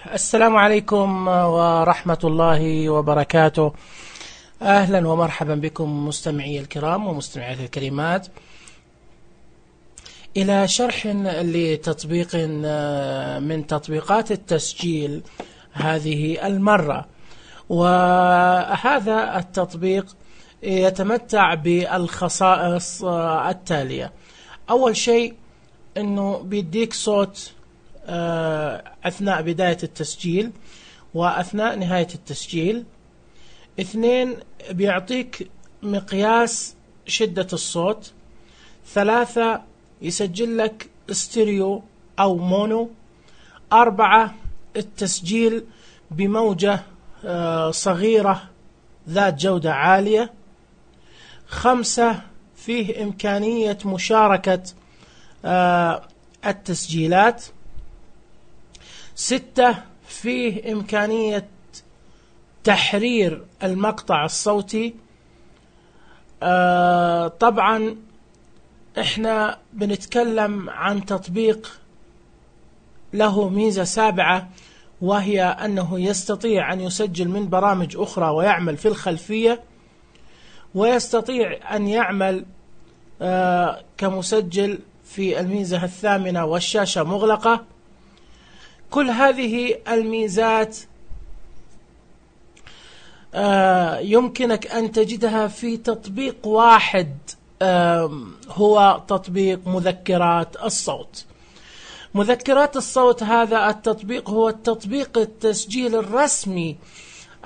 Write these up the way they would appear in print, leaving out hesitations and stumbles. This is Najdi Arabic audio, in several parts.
السلام عليكم ورحمة الله وبركاته. أهلا ومرحبا بكم مستمعي الكرام ومستمعات الكريمات إلى شرح لتطبيق من تطبيقات التسجيل هذه المرة. وهذا التطبيق يتمتع بالخصائص التالية. أول شيء أنه بيديك صوت أثناء بداية التسجيل وأثناء نهاية التسجيل. 2 بيعطيك مقياس شدة الصوت. 3 يسجل لك ستيريو أو مونو. 4 التسجيل بموجة صغيرة ذات جودة عالية. 5 فيه إمكانية مشاركة التسجيلات. 6 فيه إمكانية تحرير المقطع الصوتي. طبعا احنا بنتكلم عن تطبيق له ميزة 7، وهي أنه يستطيع أن يسجل من برامج أخرى ويعمل في الخلفية، ويستطيع أن يعمل كمسجل في الميزة 8 والشاشة مغلقة. كل هذه الميزات يمكنك أن تجدها في تطبيق واحد، هو تطبيق مذكرات الصوت. مذكرات الصوت هذا التطبيق هو التطبيق التسجيل الرسمي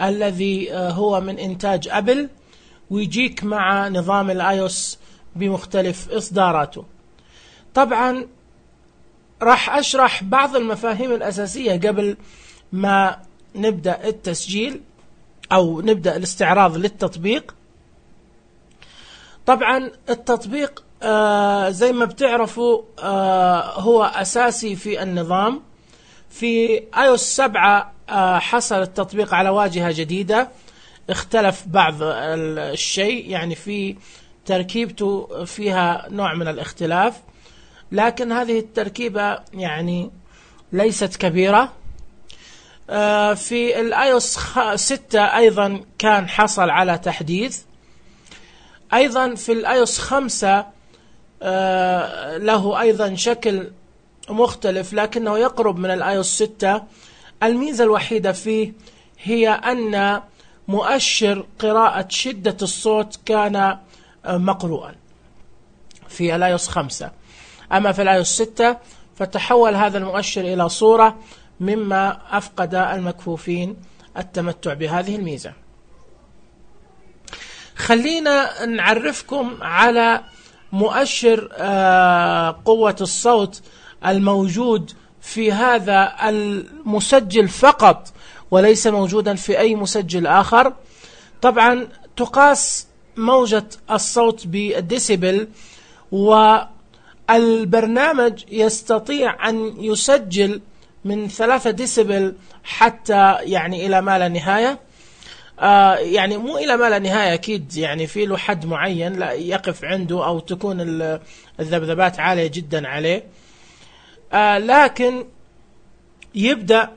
الذي هو من إنتاج أبل، ويجيك مع نظام الآيوس بمختلف إصداراته. طبعا راح أشرح بعض المفاهيم الأساسية قبل ما نبدأ التسجيل أو نبدأ الاستعراض للتطبيق. طبعا التطبيق زي ما بتعرفوا هو أساسي في النظام. في iOS 7 حصل التطبيق على واجهة جديدة، اختلف بعض الشيء، يعني في تركيبته فيها نوع من الاختلاف، لكن هذه التركيبة يعني ليست كبيرة. في الآيوس 6 أيضا كان حصل على تحديث. أيضا في الآيوس 5 له أيضا شكل مختلف لكنه يقرب من الآيوس 6. الميزة الوحيدة فيه هي أن مؤشر قراءة شدة الصوت كان مقروءا في الآيوس 5. أما في الآيوس 6 فتحول هذا المؤشر إلى صورة، مما أفقد المكفوفين التمتع بهذه الميزة. خلينا نعرفكم على مؤشر قوة الصوت الموجود في هذا المسجل فقط، وليس موجودا في أي مسجل آخر. طبعا تقاس موجة الصوت بالديسيبل، والبرنامج يستطيع أن يسجل من 3 ديسيبل حتى يعني إلى ما لا نهاية. يعني مو إلى ما لا نهاية أكيد، يعني في له حد معين لا يقف عنده، أو تكون الذبذبات عالية جدا عليه. لكن يبدأ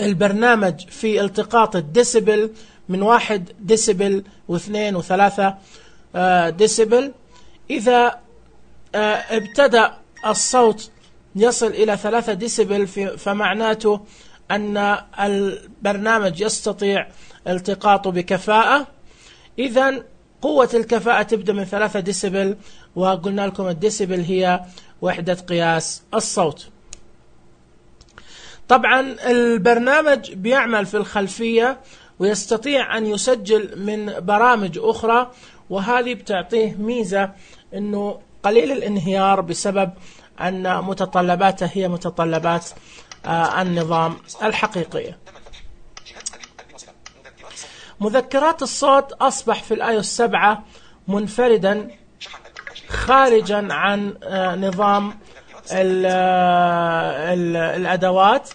البرنامج في التقاط الديسيبل من 1 ديسيبل و2 و3 ديسيبل. إذا ابتدأ الصوت يصل إلى 3 ديسيبل فمعناته أن البرنامج يستطيع التقاطه بكفاءة. إذن قوة الكفاءة تبدأ من 3 ديسيبل، وقلنا لكم الديسيبل هي وحدة قياس الصوت. طبعا البرنامج بيعمل في الخلفية ويستطيع أن يسجل من برامج أخرى، وهذه بتعطيه ميزة أنه قليل الانهيار بسبب أن متطلباته هي متطلبات النظام الحقيقية. مذكرات الصوت أصبح في الآيوس 7 منفردا خارجا عن نظام الأدوات.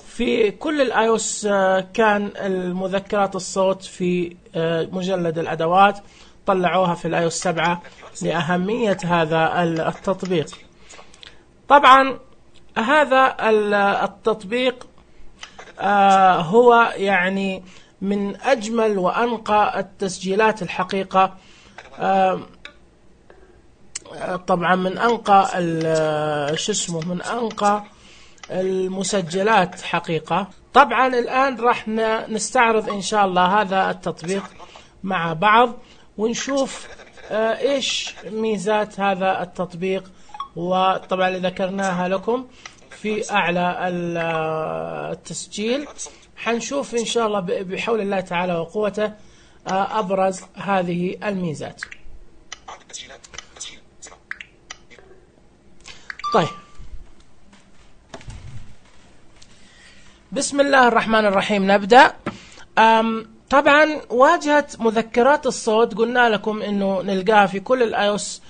في كل الآيوس كان المذكرات الصوت في مجلد الأدوات، طلعوها في الآيوس 7 لأهمية هذا التطبيق. طبعا هذا التطبيق هو يعني من أجمل وأنقى التسجيلات الحقيقة. طبعا من أنقى من أنقى المسجلات حقيقة. طبعا الآن راح نستعرض إن شاء الله هذا التطبيق مع بعض ونشوف إيش ميزات هذا التطبيق، وطبعا اللي ذكرناها لكم في أعلى التسجيل. حنشوف إن شاء الله بحول الله تعالى وقوته أبرز هذه الميزات. طيب، بسم الله الرحمن الرحيم. نبدأ. طبعا واجهة مذكرات الصوت قلنا لكم انه نلقاها في كل الايوس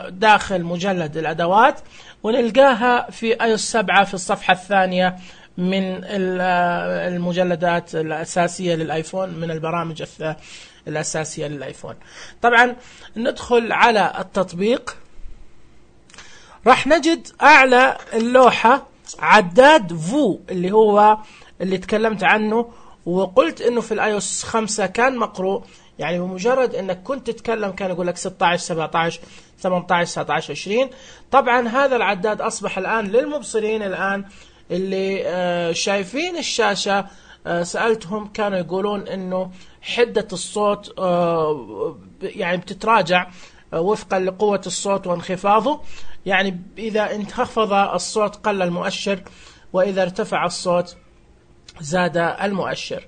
داخل مجلد الادوات، ونلقاها في ايوس 7 في الصفحة الثانية من المجلدات الاساسية للايفون، من البرامج الاساسية للايفون. طبعا ندخل على التطبيق، راح نجد اعلى اللوحة عداد فو اللي هو اللي تكلمت عنه، وقلت انه في الايوس 5 كان مقروء، يعني بمجرد انك كنت تتكلم كان يقول لك 16 17 18 19 20. طبعا هذا العداد اصبح الان للمبصرين الان اللي شايفين الشاشة. سألتهم كانوا يقولون انه حدة الصوت يعني بتتراجع وفقا لقوة الصوت وانخفاضه، يعني إذا انخفض الصوت قل المؤشر، وإذا ارتفع الصوت زاد المؤشر.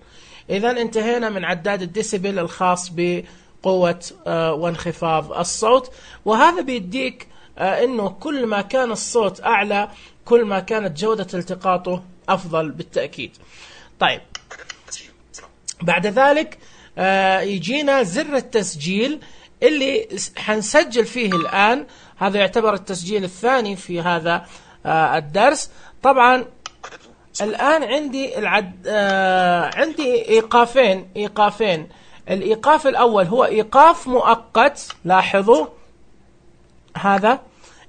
إذا انتهينا من عداد الديسيبل الخاص بقوة وانخفاض الصوت، وهذا بيديك إنه كل ما كان الصوت أعلى كل ما كانت جودة التقاطه أفضل بالتأكيد. طيب، بعد ذلك يجينا زر التسجيل اللي حنسجل فيه الآن. هذا يعتبر التسجيل الثاني في هذا الدرس. طبعا الآن عندي عندي إيقافين. الإيقاف الأول هو إيقاف مؤقت، لاحظوا هذا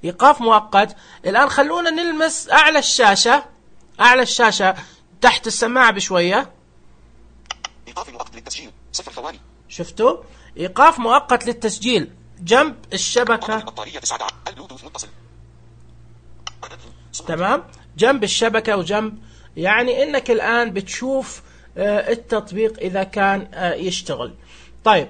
إيقاف مؤقت. الآن خلونا نلمس أعلى الشاشة تحت السماعة بشوية. إيقاف مؤقت للتسجيل 0 ثواني. شفتوا؟ إيقاف مؤقت للتسجيل جنب الشبكة. تمام، جنب الشبكة وجنب، يعني إنك الآن بتشوف التطبيق إذا كان يشتغل. طيب،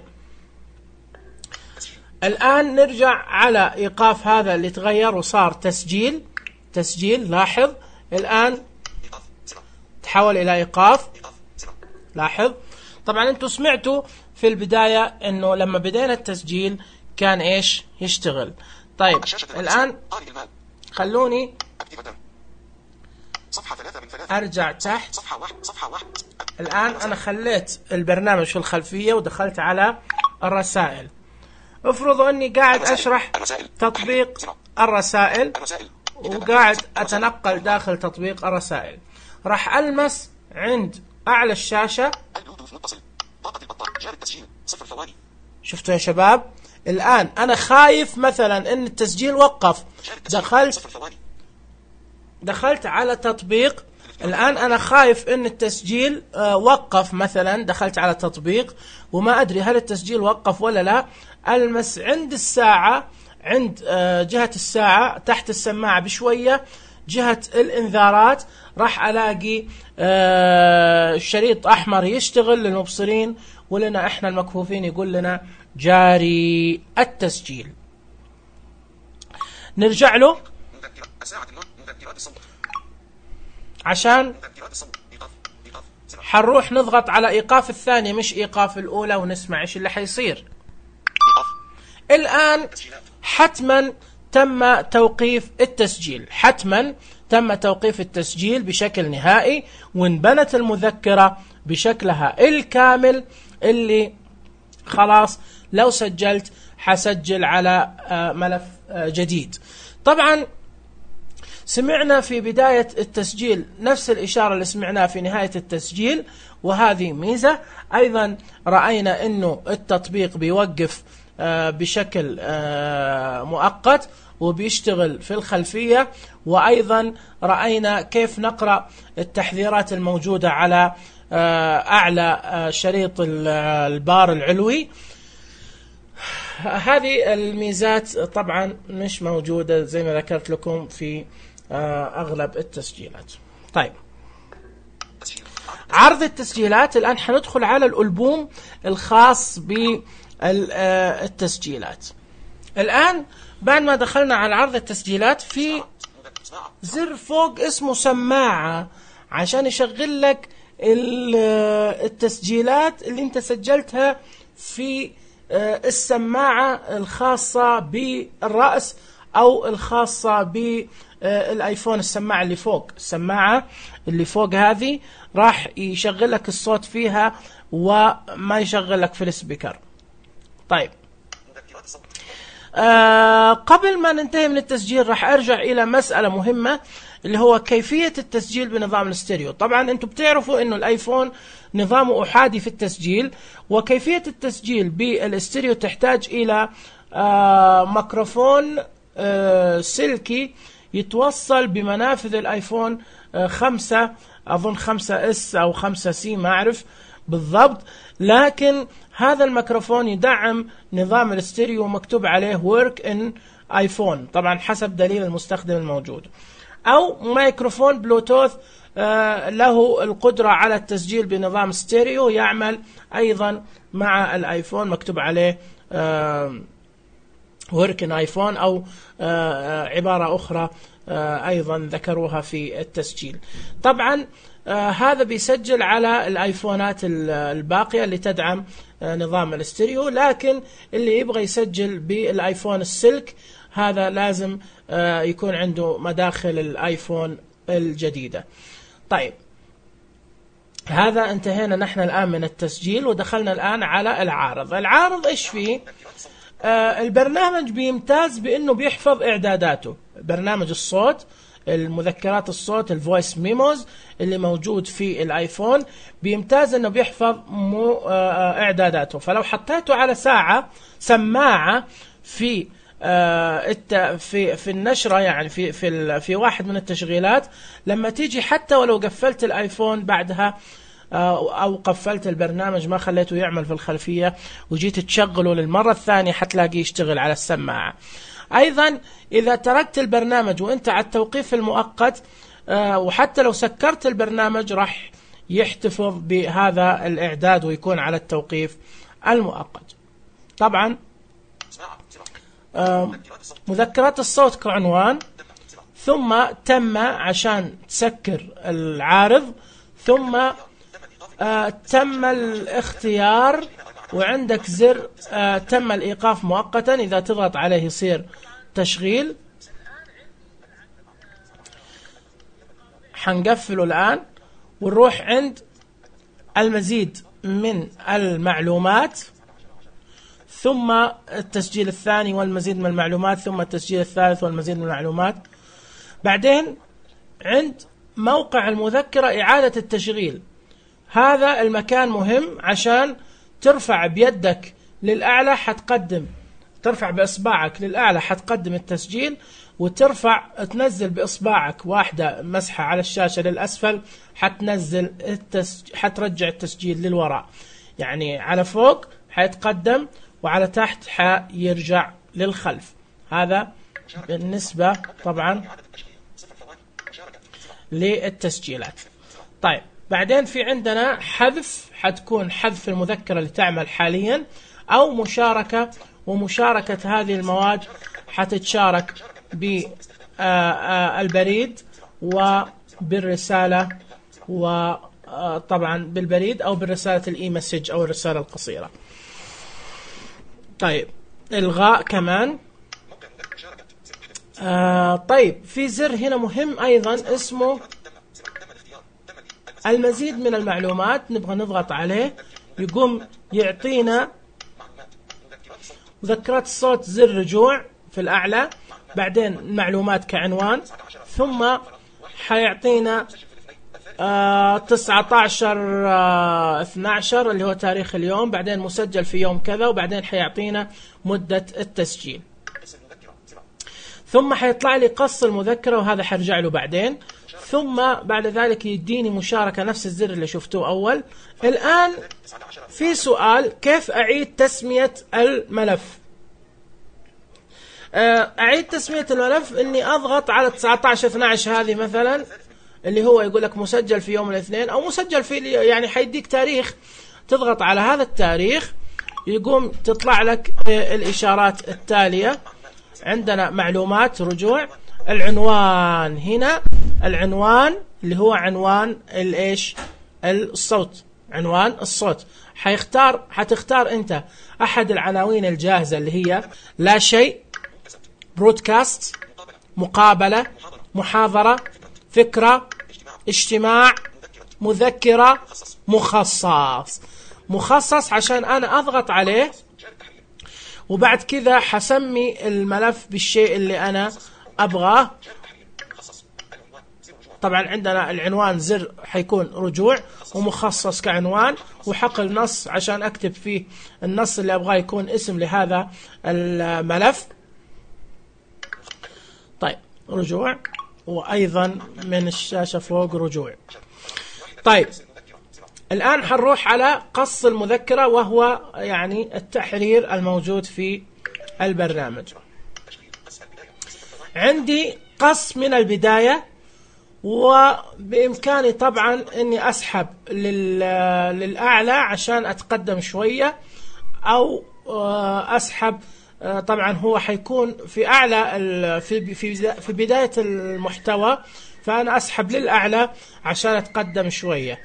الآن نرجع على إيقاف هذا اللي تغير وصار تسجيل. لاحظ الآن تحول إلى إيقاف. لاحظ طبعا أنتم سمعتوا في البداية إنه لما بدينا التسجيل كان إيش يشتغل. طيب الآن خلوني أرجع تحت. صفحة واحد. الآن أنا خليت البرنامج في الخلفية ودخلت على الرسائل. افرضوا أني قاعد أشرح تطبيق الرسائل وقاعد أتنقل داخل تطبيق الرسائل، راح ألمس عند أعلى الشاشة. شفتوا يا شباب؟ الآن أنا خايف مثلا أن التسجيل وقف، دخلت على تطبيق. الآن أنا خايف أن التسجيل وقف مثلا، دخلت على تطبيق وما أدري هل التسجيل وقف ولا لا. ألمس عند الساعة، عند جهة الساعة تحت السماعة بشوية، جهة الإنذارات، راح ألاقي شريط أحمر يشتغل للمبصرين، ولنا إحنا المكفوفين يقول لنا جاري التسجيل. نرجع له عشان حنروح نضغط على إيقاف الثانية مش إيقاف الأولى ونسمع إيش اللي حيصير. الآن حتما تم توقيف التسجيل بشكل نهائي، وانبنت المذكرة بشكلها الكامل اللي خلاص لو سجلت حسجل على ملف جديد. طبعا سمعنا في بداية التسجيل نفس الإشارة اللي سمعناها في نهاية التسجيل، وهذه ميزة. أيضا رأينا أنه التطبيق بيوقف بشكل مؤقت، وبيشتغل في الخلفية. وأيضا رأينا كيف نقرأ التحذيرات الموجودة على أعلى شريط البار العلوي. هذه الميزات طبعا مش موجودة زي ما ذكرت لكم في أغلب التسجيلات. طيب، عرض التسجيلات. الآن حندخل على الألبوم الخاص بالتسجيلات. الآن بعد ما دخلنا على عرض التسجيلات، في زر فوق اسمه سماعة عشان يشغل لك التسجيلات اللي انت سجلتها في السماعة الخاصة بالرأس أو الخاصة بالايفون. السماعة اللي فوق، السماعة اللي فوق هذه راح يشغل لك الصوت فيها وما يشغل لك في السبيكر. طيب، قبل ما ننتهي من التسجيل راح أرجع إلى مسألة مهمة اللي هو كيفية التسجيل بنظام الاستيريو. طبعا أنتم بتعرفوا أنه الآيفون نظامه أحادي في التسجيل، وكيفية التسجيل بالاستيريو تحتاج إلى ميكروفون سلكي يتوصل بمنافذ الآيفون 5، أظن 5S أو 5C، ما أعرف بالضبط، لكن هذا الميكروفون يدعم نظام الاستيريو مكتوب عليه work in ايفون، طبعا حسب دليل المستخدم الموجود، أو ميكروفون بلوتوث له القدرة على التسجيل بنظام ستيريو يعمل أيضا مع الآيفون مكتوب عليه work in ايفون، أو عبارة أخرى أيضا ذكروها في التسجيل. طبعا هذا بيسجل على الآيفونات الباقية اللي تدعم نظام الاستيريو، لكن اللي يبغى يسجل بالآيفون السلك هذا لازم يكون عنده مداخل الآيفون الجديدة. طيب، هذا انتهينا نحن الآن من التسجيل ودخلنا الآن على العارض. العارض إيش فيه؟ البرنامج بيمتاز بأنه بيحفظ إعداداته. برنامج الصوت، المذكرات الصوت، الفويس ميموز اللي موجود في الآيفون بيمتاز أنه بيحفظ إعداداته. فلو حطيته على سماعة في النشرة، يعني في واحد من التشغيلات، لما تيجي حتى ولو قفلت الآيفون بعدها أو قفلت البرنامج ما خليته يعمل في الخلفية وجيت تشغله للمرة الثانية حتلاقيه يشتغل على السماعة. أيضا إذا تركت البرنامج وأنت على التوقيف المؤقت، وحتى لو سكرت البرنامج راح يحتفظ بهذا الإعداد ويكون على التوقيف المؤقت. طبعا مذكرات الصوت كعنوان، ثم تم عشان تسكر العارض، ثم تم الاختيار، وعندك زر تم الإيقاف مؤقتا، إذا تضغط عليه يصير تشغيل. حنقفله الآن ونروح عند المزيد من المعلومات، ثم التسجيل الثاني والمزيد من المعلومات، ثم التسجيل الثالث والمزيد من المعلومات. بعدين عند موقع المذكرة إعادة التشغيل. هذا المكان مهم عشان ترفع بيدك للأعلى حتقدم، ترفع بإصبعك للأعلى حتقدم التسجيل، وترفع تنزل بإصبعك واحدة مسحة على الشاشة للأسفل حتنزل حترجع التسجيل للوراء، يعني على فوق حيتقدم وعلى تحت حيرجع للخلف. هذا بالنسبة طبعا للتسجيلات. طيب، بعدين في عندنا حذف، حتكون حذف المذكرة اللي تعمل حاليا، أو مشاركة، ومشاركة هذه المواد حتتشارك بالبريد وبالرسالة، وطبعا بالبريد أو بالرسالة الإي مسج أو الرسالة القصيرة. طيب، إلغاء كمان. طيب، في زر هنا مهم أيضا اسمه المزيد من المعلومات، نبغى نضغط عليه يقوم يعطينا مذكرات الصوت، زر رجوع في الأعلى، بعدين المعلومات كعنوان، ثم حيعطينا 19/12 اللي هو تاريخ اليوم، بعدين مسجل في يوم كذا، وبعدين حيعطينا مدة التسجيل. ثم حيطلع لي قص المذكرة، وهذا حرجع له بعدين. ثم بعد ذلك يديني مشاركة نفس الزر اللي شفتوه أول. الآن في سؤال، كيف أعيد تسمية الملف؟ أعيد تسمية الملف إني أضغط على 19/12 هذه مثلا، اللي هو يقول لك مسجل في يوم الاثنين أو مسجل في، يعني حيديك تاريخ، تضغط على هذا التاريخ يقوم تطلع لك الإشارات التالية. عندنا معلومات رجوع، العنوان هنا، العنوان اللي هو عنوان الإيش؟ الصوت، عنوان الصوت. حتختار أنت أحد العناوين الجاهزة اللي هي لا شيء، برودكاست، مقابلة، محاضرة، فكرة، اجتماع، مذكرة، مخصص عشان أنا أضغط عليه، وبعد كذا حسمي الملف بالشيء اللي أنا أبغاه. طبعا عندنا العنوان زر حيكون رجوع، ومخصص كعنوان، وحقل نص عشان أكتب فيه النص اللي أبغاه يكون اسم لهذا الملف. طيب رجوع، وأيضا من الشاشة فوق رجوع. طيب الآن حنروح على قص المذكرة، وهو يعني التحرير الموجود في البرنامج. عندي قص من البداية، وبإمكاني طبعا أني أسحب للأعلى عشان أتقدم شوية، أو أسحب. طبعا هو حيكون في أعلى في بداية المحتوى، فأنا أسحب للأعلى عشان أتقدم شوية.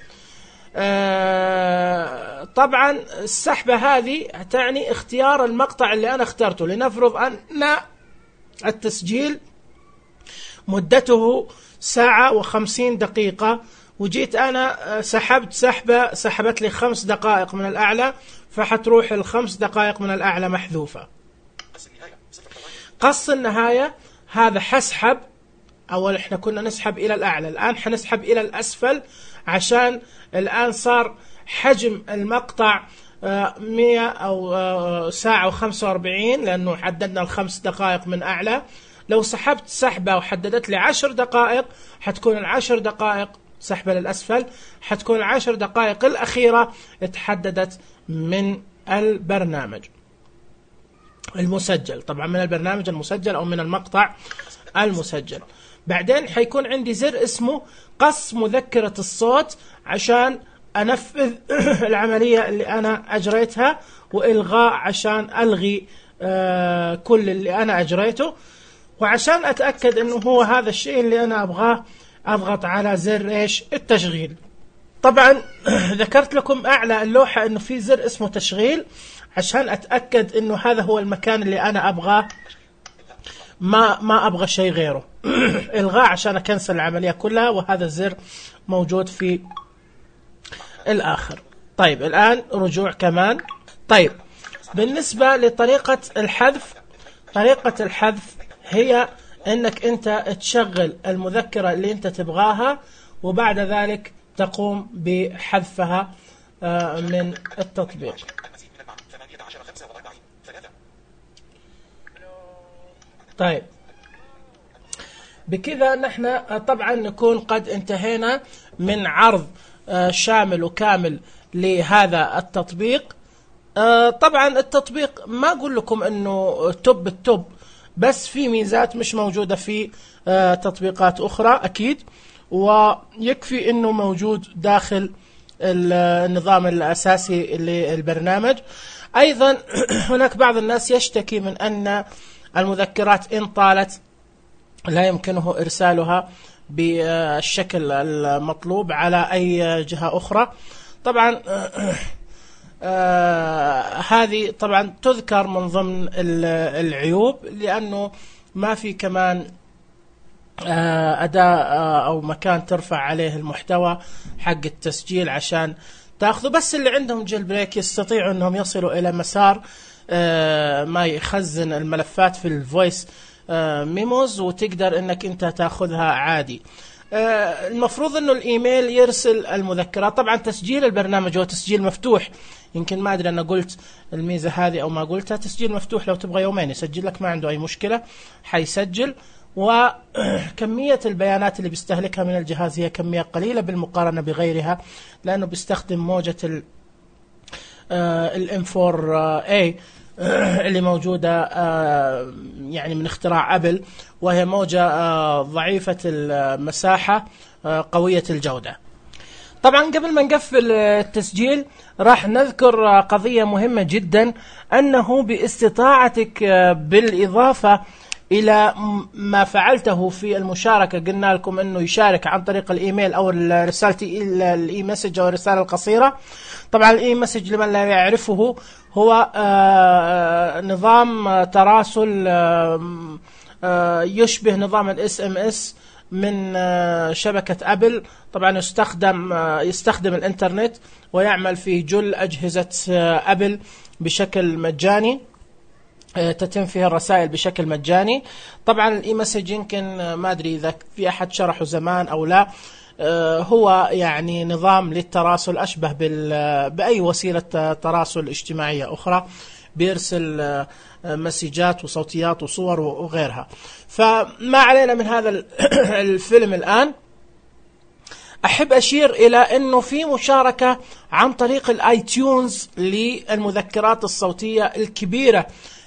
طبعا السحبة هذه تعني اختيار المقطع اللي أنا اخترته. لنفرض أن التسجيل مدته 1:50، وجيت أنا سحبت لي 5 دقائق من الأعلى، فحتروح ال5 دقائق من الأعلى محذوفة. قص النهاية هذا حسحب، أول إحنا كنا نسحب إلى الأعلى، الآن حنسحب إلى الأسفل، عشان الآن صار حجم المقطع 100 أو 1:45، لأنه حددنا ال5 دقائق من أعلى. لو سحبت سحبة وحددت لي 10 دقائق، حتكون 10 دقائق سحبة للأسفل، حتكون 10 دقائق الأخيرة اتحددت من البرنامج المسجل، طبعا من البرنامج المسجل أو من المقطع المسجل. بعدين حيكون عندي زر اسمه قص مذكرة الصوت، عشان أنفذ العملية اللي أنا أجريتها، وإلغاء عشان ألغي كل اللي أنا أجريته. وعشان أتأكد أنه هو هذا الشيء اللي أنا أبغاه، أضغط على زر إيش؟ التشغيل. طبعا ذكرت لكم أعلى اللوحة أنه في زر اسمه تشغيل، عشان أتأكد أنه هذا هو المكان اللي أنا أبغاه، ما أبغى شيء غيره. إلغاء عشان أكنسل العملية كلها، وهذا الزر موجود في الآخر. طيب الآن رجوع كمان. طيب بالنسبة لطريقة الحذف، طريقة الحذف هي أنك أنت تشغل المذكرة اللي أنت تبغاها، وبعد ذلك تقوم بحذفها من التطبيق. طيب بكذا نحن طبعا نكون قد انتهينا من عرض شامل وكامل لهذا التطبيق. طبعا التطبيق ما أقول لكم أنه توب التوب، بس في ميزات مش موجودة في تطبيقات أخرى أكيد، ويكفي أنه موجود داخل النظام الأساسي للبرنامج. أيضا هناك بعض الناس يشتكي من أن المذكرات إن طالت لا يمكنه إرسالها بالشكل المطلوب على أي جهة أخرى. طبعا هذه طبعا تذكر من ضمن العيوب، لأنه ما في كمان أداة أو مكان ترفع عليه المحتوى حق التسجيل عشان تأخذه. بس اللي عندهم جيل بريك يستطيعوا أنهم يصلوا إلى مسار ما يخزن الملفات في الفويس ميموز، وتقدر أنك أنت تأخذها عادي. المفروض انه الايميل يرسل المذكرات. طبعا تسجيل البرنامج هو تسجيل مفتوح، يمكن ما ادري انا قلت الميزه هذه او ما قلتها. تسجيل مفتوح، لو تبغى يومين يسجل لك ما عنده اي مشكله، حيسجل. وكميه البيانات اللي بيستهلكها من الجهاز هي كميه قليله بالمقارنه بغيرها، لانه بيستخدم موجه الام 4 a اللي موجودة يعني من اختراع أبل، وهي موجة ضعيفة المساحة قوية الجودة. طبعا قبل ما نقفل التسجيل راح نذكر قضية مهمة جدا، أنه باستطاعتك بالإضافة إلى ما فعلته في المشاركة، قلنا لكم أنه يشارك عن طريق الإيميل أو رسالة الإي مسج أو الرسالة القصيرة. طبعا الإي مسج لمن لا يعرفه هو نظام تراسل يشبه نظام الاس ام اس من شبكة أبل. طبعا يستخدم الإنترنت ويعمل في جل أجهزة أبل بشكل مجاني، تتم فيها الرسائل بشكل مجاني. طبعا الإي مسج يمكن ما أدري إذا في أحد شرحه زمان أو لا، هو يعني نظام للتراسل أشبه بأي وسيلة تراسل اجتماعية أخرى، بيرسل مسجات وصوتيات وصور وغيرها. فما علينا من هذا الفيلم الآن. أحب أشير إلى أنه في مشاركة عن طريق الآي تيونز للمذكرات الصوتية الكبيرة،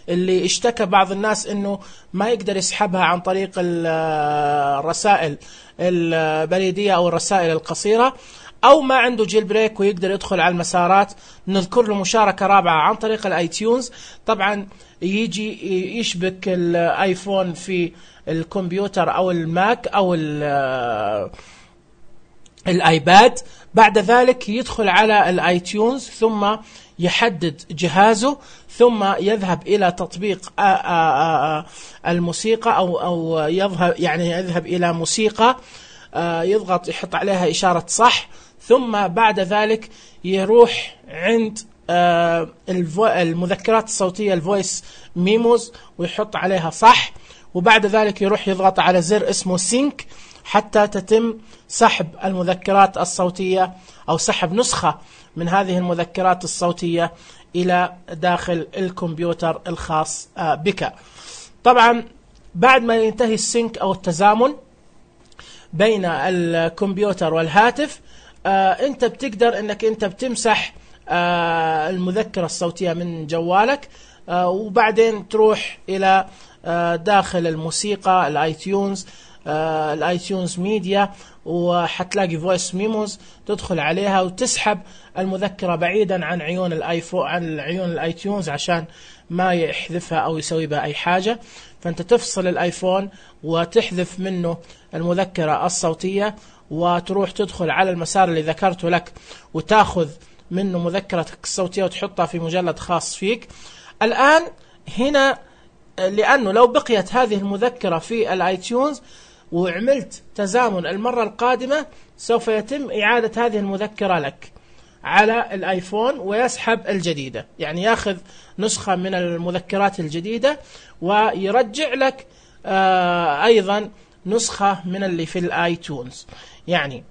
اللي اشتكى بعض الناس أنه ما يقدر يسحبها عن طريق الرسائل البريدية أو الرسائل القصيرة، أو ما عنده جيل بريك ويقدر يدخل على المسارات. نذكر له مشاركة رابعة عن طريق الاي تيونز. طبعا يجي يشبك الايفون في الكمبيوتر أو الماك أو الايباد، بعد ذلك يدخل على الاي تيونز ثم يحدد جهازه، ثم يذهب إلى تطبيق الموسيقى أو يذهب إلى موسيقى، يضغط يحط عليها إشارة صح، ثم بعد ذلك يروح عند المذكرات الصوتية الفويس ميموز ويحط عليها صح، وبعد ذلك يروح يضغط على زر اسمه سينك حتى تتم سحب المذكرات الصوتية أو سحب نسخة من هذه المذكرات الصوتية إلى داخل الكمبيوتر الخاص بك. طبعا بعد ما ينتهي السينك أو التزامن بين الكمبيوتر والهاتف، أنت بتقدر أنك أنت بتمسح المذكرة الصوتية من جوالك، وبعدين تروح إلى داخل الموسيقى الاي تيونز ميديا، وحتلاقي فويس ميموز، تدخل عليها وتسحب المذكرة بعيدا عن عيون الايفون، عن عيون الاي تيونز، عشان ما يحذفها او يسوي بها اي حاجة. فانت تفصل الايفون وتحذف منه المذكرة الصوتية، وتروح تدخل على المسار اللي ذكرته لك وتاخذ منه مذكرتك الصوتية وتحطها في مجلد خاص فيك. الآن هنا لأنه لو بقيت هذه المذكرة في الاي تيونز وعملت تزامن المرة القادمة، سوف يتم إعادة هذه المذكرة لك على الايفون ويسحب الجديدة، يعني ياخذ نسخة من المذكرات الجديدة ويرجع لك أيضا نسخة من اللي في الاي تيونز. يعني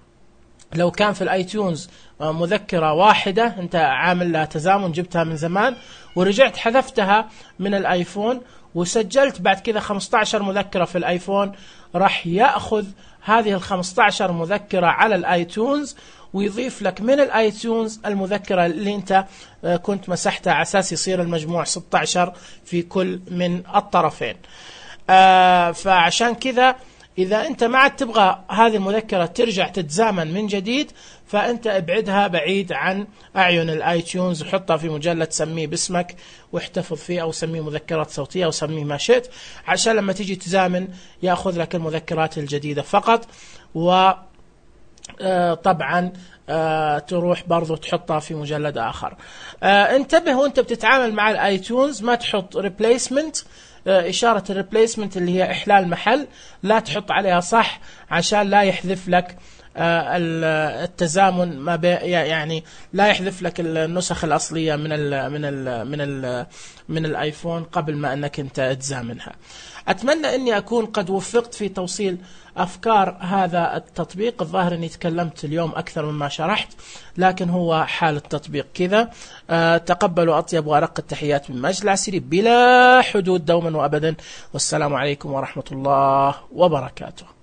لو كان في الاي تيونز مذكرة واحدة انت عامل لها تزامن، جبتها من زمان ورجعت حذفتها من الايفون وسجلت بعد كذا 15 مذكرة في الايفون، راح يأخذ هذه ال 15 مذكرة على الاي تيونز ويضيف لك من الاي تيونز المذكرة اللي انت كنت مسحتها، على اساس يصير المجموع 16 في كل من الطرفين. فعشان كذا إذا أنت ما عاد تبغى هذه المذكرة ترجع تتزامن من جديد، فأنت ابعدها بعيد عن أعين الاي تيونز وحطها في مجلد سميه باسمك واحتفظ فيه، أو سميه مذكرات صوتية أو سميه ما شئت، عشان لما تيجي تزامن يأخذ لك المذكرات الجديدة فقط. وطبعا تروح برضو تحطها في مجلد آخر. انتبه وانت بتتعامل مع الاي تيونز ما تحط ريبليسمنت، إشارة الريبليسمنت اللي هي إحلال محل، لا تحط عليها صح، عشان لا يحذف لك التزامن ما يعني لا يحذف لك النسخ الأصلية من الايفون قبل ما انك انت تزامنها. اتمنى اني اكون قد وفقت في توصيل افكار هذا التطبيق. الظاهر اني تكلمت اليوم اكثر مما شرحت، لكن هو حال التطبيق كذا. تقبلوا اطيب وارق التحيات من ماجد العسيري بلا حدود دوما وابدا، والسلام عليكم ورحمة الله وبركاته.